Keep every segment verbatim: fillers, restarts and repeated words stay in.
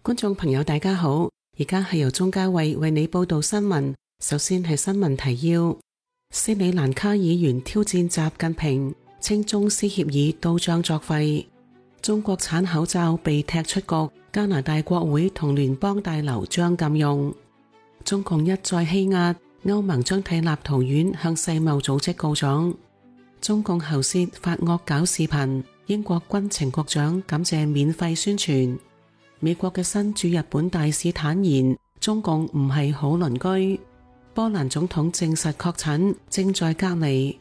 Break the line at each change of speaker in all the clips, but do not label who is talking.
觀眾朋友大家好，而家係由鍾嘉慧為你報道新聞。首先係新聞提要：斯里蘭卡議員挑戰習近平，稱中斯協議都將作廢；中國產口罩被踢出局，加拿大國會同聯邦大樓將禁用；中共一再欺壓，歐盟將替立陶宛向世貿組織告狀；中共喉舌發惡搞視頻，英國軍情局長感謝免費宣傳。美國嘅新駐日本大使坦言，中共唔係好鄰居。波蘭總統證實確診，正在隔離。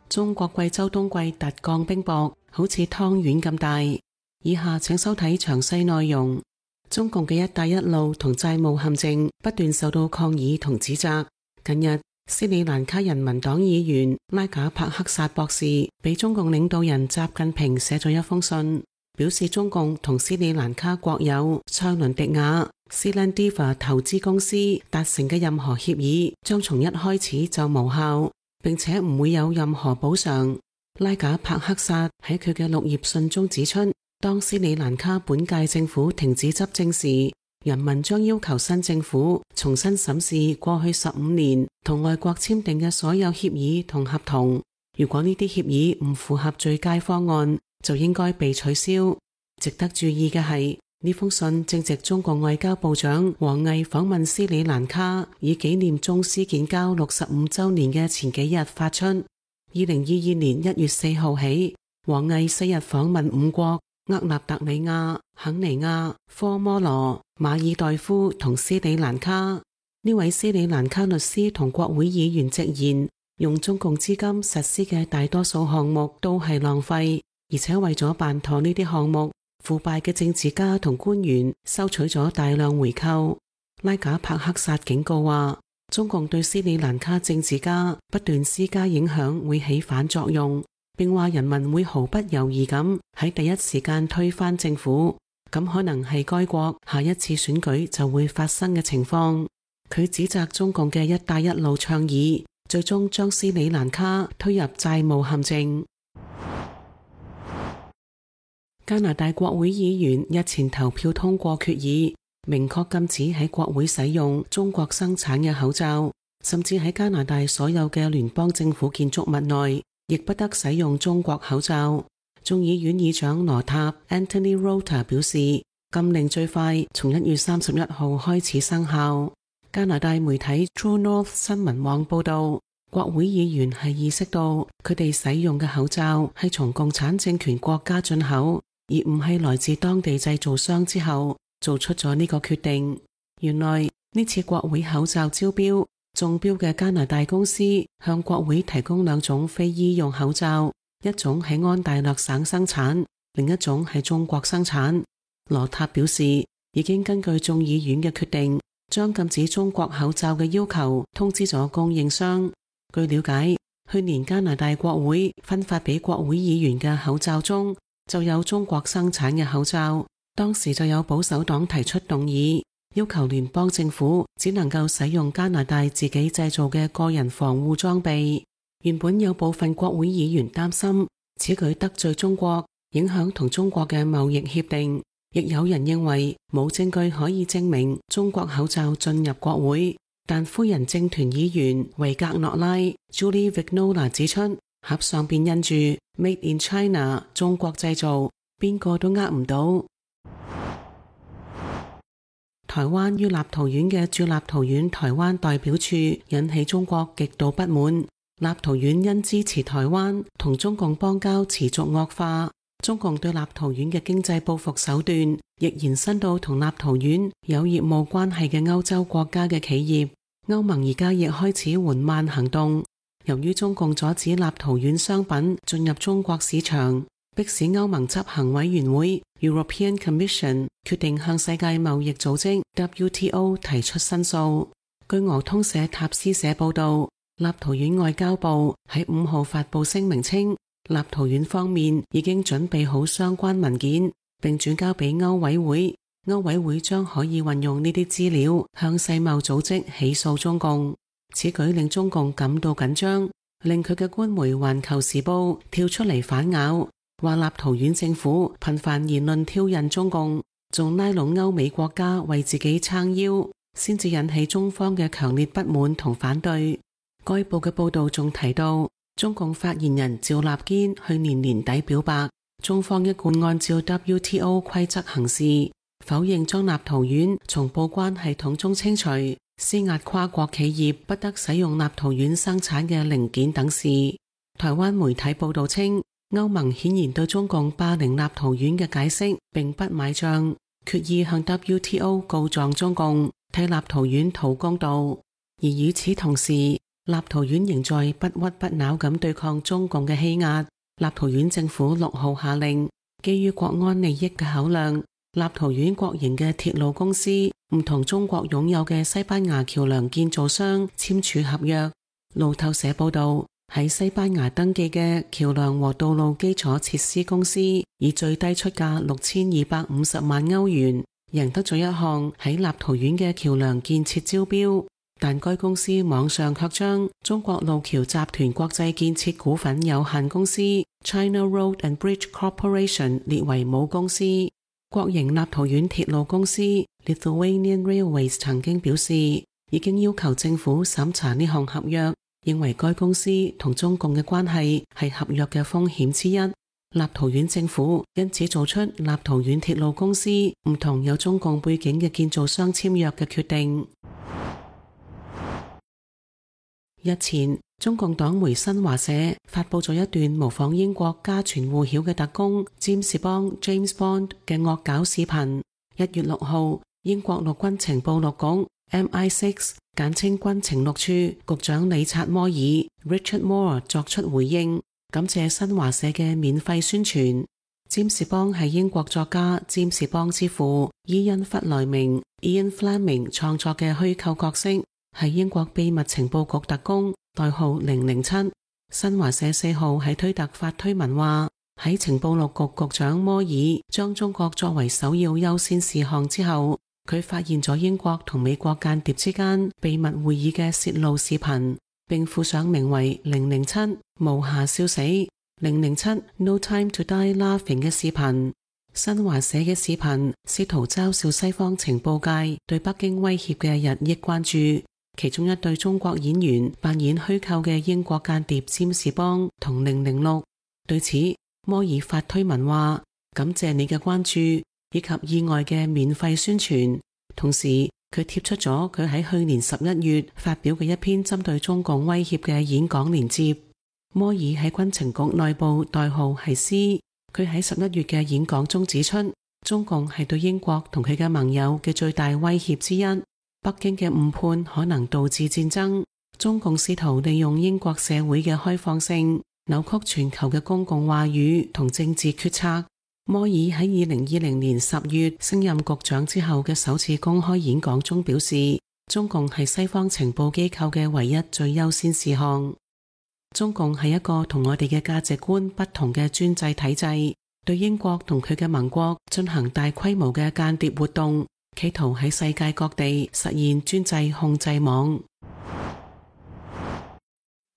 中國貴州冬季特降冰雹，好似湯圓咁大。以下請收睇詳細內容。中共嘅一帶一路同債務陷阱不斷受到抗議同指責。近日，斯里蘭卡人民黨議員拉賈帕克薩博士俾中共領導人習近平寫咗一封信，表示中共同斯里蘭卡國有塞倫迪亞 Seelandiva 投資公司達成嘅任何協議將從一開始就無效，並且唔會有任何補償。拉賈帕克薩喺佢嘅六頁信中指出，當斯里蘭卡本屆政府停止執政時，人民將要求新政府重新審視過去十五年同外國簽訂嘅所有協議同合同。如果呢啲協議唔符合最佳方案，就應該被取消。值得注意嘅係，呢封信正值中國外交部長王毅訪問斯里蘭卡，以紀念中斯建交六十五週年嘅前幾日發出。二零二二年一月四號起，王毅四日訪問五國：厄立特里亞、肯尼亞、科摩羅、馬爾代夫同斯里蘭卡。呢位斯里蘭卡律師同國會議員直言，用中共資金實施嘅大多數項目都係浪費。而且為咗辦妥呢啲項目，腐敗嘅政治家同官員收取咗大量回扣。拉賈帕克薩警告話，中共對斯里蘭卡政治家不斷施加影響會起反作用，並話人民會毫不猶豫咁喺第一時間推翻政府，咁可能係該國下一次選舉就會發生嘅情況。佢指責中共嘅一帶一路倡議，最終將斯里蘭卡推入債務陷阱。加拿大國會議員日前投票通過決議，明確禁止喺國會使用中國生產嘅口罩，甚至喺加拿大所有嘅聯邦政府建築物內，亦不得使用中國口罩。眾議院議長羅塔 Anthony Rota 表示，禁令最快從一月三十一號開始生效。加拿大媒體 True North 新聞網報道，國會議員係意識到佢哋使用嘅口罩係從共產政權國家進口，而唔係來自當地製造商之後，做出咗呢個決定。原來呢次國會口罩招標，中標嘅加拿大公司向國會提供兩種非醫用口罩，一種喺安大略省生產，另一種喺中國生產。羅塔表示，已經根據眾議院嘅決定，將禁止中國口罩嘅要求通知咗供應商。據了解，去年加拿大國會分發俾國會議員嘅口罩中，就有中國生產嘅口罩。當時就有保守黨提出動議，要求聯邦政府只能夠使用加拿大自己製造嘅個人防護裝備。原本有部分國會議員擔心此舉得罪中國，影響同中國嘅貿易協定，亦有人認為冇證據可以證明中國口罩進入國會。但夫人政團議員維格諾拉 Julie Vignola 指出，盒上邊印住 Made in China 中國製造，邊個都呃唔到。台灣於立陶宛嘅駐立陶宛台灣代表處引起中國極度不滿。立陶宛因支持台灣同中共邦交持續惡化，中共對立陶宛嘅經濟報復手段亦延伸到同立陶宛有業務關係嘅歐洲國家嘅企業。歐盟而家亦開始緩慢行動，由於中共阻止立陶宛商品進入中國市場，迫使歐盟執行委員會 European Commission 決定向世界貿易組織 W T O 提出申訴。據俄通社塔斯社報道，立陶宛外交部喺五號發布聲明稱，立陶宛方面已經準備好相關文件，並轉交俾歐委會。歐委會將可以運用呢啲資料向世貿組織起訴中共。此舉令中共感到緊張，令佢嘅官媒環球時報跳出嚟反咬，話立陶宛政府頻繁言論挑釁中共，仲拉攏歐美國家為自己撐腰，先至引起中方嘅強烈不滿同反對。該報嘅報導仲提到，中共發言人趙立堅去年年底表白，中方一貫按照 W T O 規則行事，否認將立陶宛從報關系統中清除，施壓跨國企業不得使用立陶宛生產嘅零件等事。台灣媒體報導稱，歐盟顯然對中共霸凌立陶宛嘅解釋並不買賬，決意向 W T O 告狀中共，替立陶宛討公道。而與此同時，立陶宛仍在不屈不撓咁對抗中共嘅欺壓。立陶宛政府六號下令，基於國安利益嘅考量，立陶宛國營嘅鐵路公司唔同中國擁有嘅西班牙橋梁建造商簽署合約。路透社報道，喺西班牙登記嘅橋梁和道路基礎設施公司以最低出價六千二百五十萬歐元贏得咗一項喺立陶宛嘅橋梁建設招標，但該公司網上卻將中國路橋集團國際建設股份有限公司 China Road and Bridge Corporation 列為母公司。國營立陶宛鐵路公司 Lithuanian Railways 曾經表示，已經要求政府審查呢項合約，認為該公司同中共嘅關係係合約嘅風險之一。立陶宛政府因此做出立陶宛鐵路公司唔同有中共背景嘅建造商簽約嘅決定。日前，中共黨媒新華社發佈咗一段模仿英國家傳戶曉嘅特工占士邦 James Bond 嘅惡搞視頻。一月六號，英國陸軍情報局 M I 六 簡稱軍情六處局長理察摩爾 Richard Moore 作出回應，感謝新華社嘅免費宣傳。占士邦係英國作家占士邦之父伊恩弗萊明 Ian Fleming 創作嘅虛構角色，係英國秘密情報局特工，代號零零七。新華社四號喺推特發推文話，喺情報六局局長摩爾將中國作為首要優先事項之後，佢發現咗英國同美國間諜之間秘密會議嘅洩露視頻，並附上名為零零七無暇笑死零零七 No Time to Die Laughing 嘅視頻。新華社嘅視頻試圖嘲笑西方情報界對北京威脅嘅日益關注。其中一對中國演員扮演虛構嘅英國間諜占士邦同零零六。對此，摩爾發推文話，感謝你嘅關注以及意外嘅免費宣傳。同時，佢貼出咗佢喺去年十一月發表嘅一篇針對中共威脅嘅演講連接。摩爾喺軍情局內部代號係 C。佢喺十一月嘅演講中指出，中共係對英國同佢嘅盟友嘅最大威脅之一。北京嘅誤判可能導致戰爭，中共試圖利用英國社會嘅開放性，扭曲全球嘅公共話語同政治決策。摩爾喺二零二零年十月升任局長之後嘅首次公開演講中表示，中共係西方情報機構嘅唯一最優先事項。中共係一個同我哋嘅價值觀不同嘅專制體制，對英國同佢嘅盟國進行大規模嘅間諜活動，企圖喺世界各地實現專制控制網。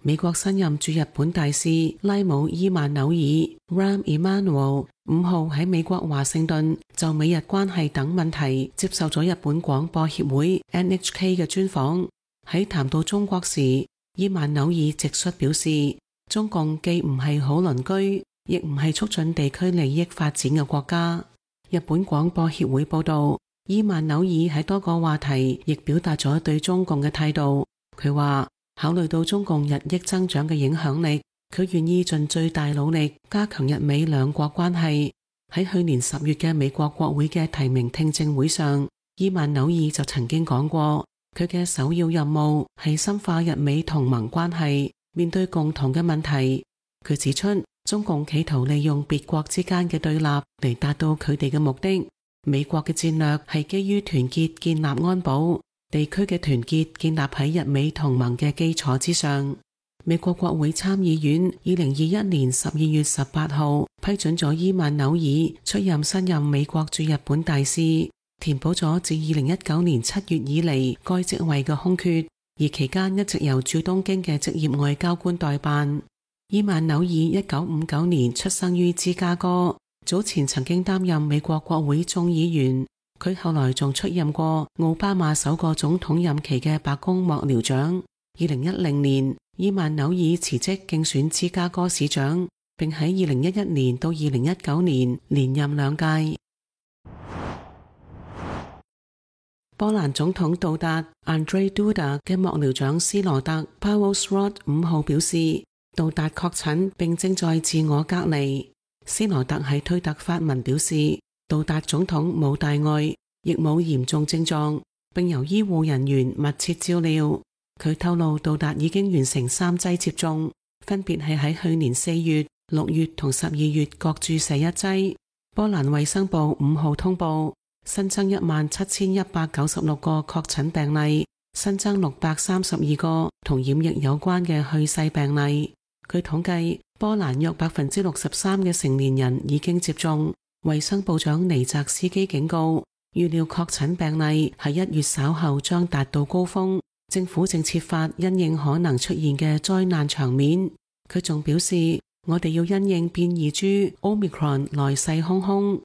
美國新任駐日本大使拉姆伊曼紐爾 Rahm Emanuel 五號喺美國華盛頓就美日關係等問題接受咗日本廣播協會 N H K 嘅專訪。喺談到中國時，伊曼紐爾直率表示，中共既唔係好鄰居，亦唔係促進地區利益發展嘅國家。日本廣播協會報道，伊曼紐爾喺多個話題亦表達咗對中共嘅態度。佢話，考慮到中共日益增長嘅影響力，佢願意盡最大努力加強日美兩國關係。喺去年十月嘅美國國會嘅提名聽證會上，伊曼紐爾就曾經講過，佢嘅首要任務係深化日美同盟關係，面對共同嘅問題。佢指出，中共企圖利用別國之間嘅對立嚟達到佢哋嘅目的。美國嘅戰略係基於團結建立安保，地區嘅團結建立喺日美同盟嘅基礎之上。美國國會參議院二零二一年十二月十八號批准咗伊曼紐爾出任新任美國駐日本大使，填補咗自二零一九年七月以嚟該職位嘅空缺，而期間一直由駐東京嘅職業外交官代辦。伊曼紐爾一九五九年出生於芝加哥，早前曾經擔任美國國會眾議員，佢後來仲出任過奧巴馬首個總統任期嘅白宮幕僚長。二零一零年，伊曼紐爾辭職競選芝加哥市長，並喺二零一一年到二零一九年連任兩屆。波蘭總統杜達 Andrzej Duda 嘅幕僚長斯羅特 Paweł Szrot 五號表示，杜達確診並正在自我隔離。斯羅特喺推特發文表示，杜達總統冇大礙，亦冇嚴重症狀，並由醫護人員密切照料。佢透露杜達已經完成三劑接種，分別係喺去年四月、六月同十二月各注射一劑。波蘭衛生部五號通報新增一萬七千一百九十六個確診病例，新增六百三十二個同染疫有關嘅去世病例。據統計，波蘭約百分之六十三嘅成年人已經接種。衛生部長尼澤斯基警告，預料確診病例喺一月稍後將達到高峰，政府正設法因應可能出現嘅災難場面。佢仲表示，我哋要因應變異株 Omicron 來勢洶洶。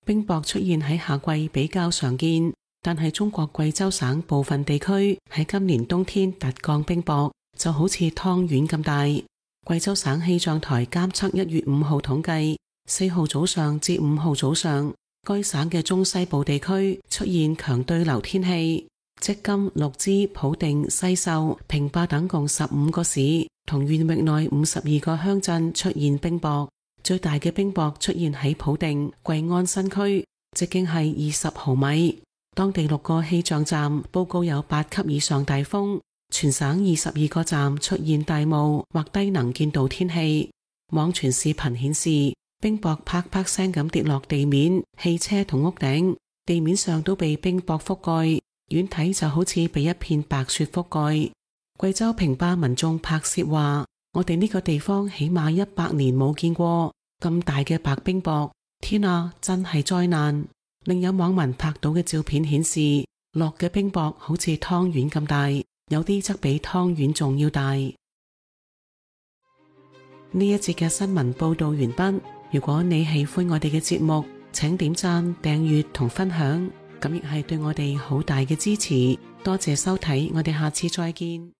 冰雹出現喺夏季比較常見，但係中國貴州省部分地區喺今年冬天突降冰雹，就好似湯圓咁大。貴州省氣象台監測一月五號統計，四號早上至五號早上，該省嘅中西部地區出現強對流天氣，積金、陸支、普定、西秀、平霸等共十五個市同縣域內五十二個鄉鎮出現冰雹。最大嘅冰雹出現喺普定貴安新區，直徑係二十毫米。當地六個氣象站報告有八級以上大風，全省二十二個站出現大霧或低能見度天氣。網傳視頻顯示，冰雹啪啪聲咁跌落地面、汽車同屋頂，地面上都被冰雹覆蓋，遠睇就好似被一片白雪覆蓋。貴州平霸民眾拍攝話，我哋呢個地方起碼一百年冇見過咁大嘅白冰雹，天啊，真係災難！另有網民拍到嘅照片顯示，落嘅冰雹好似湯圓咁大，有啲則比湯圓仲要大。呢一節嘅新聞報道完畢。如果你喜歡我哋嘅節目，請點讚、訂閱同分享，咁亦係對我哋好大嘅支持。多謝收睇，我哋下次再見。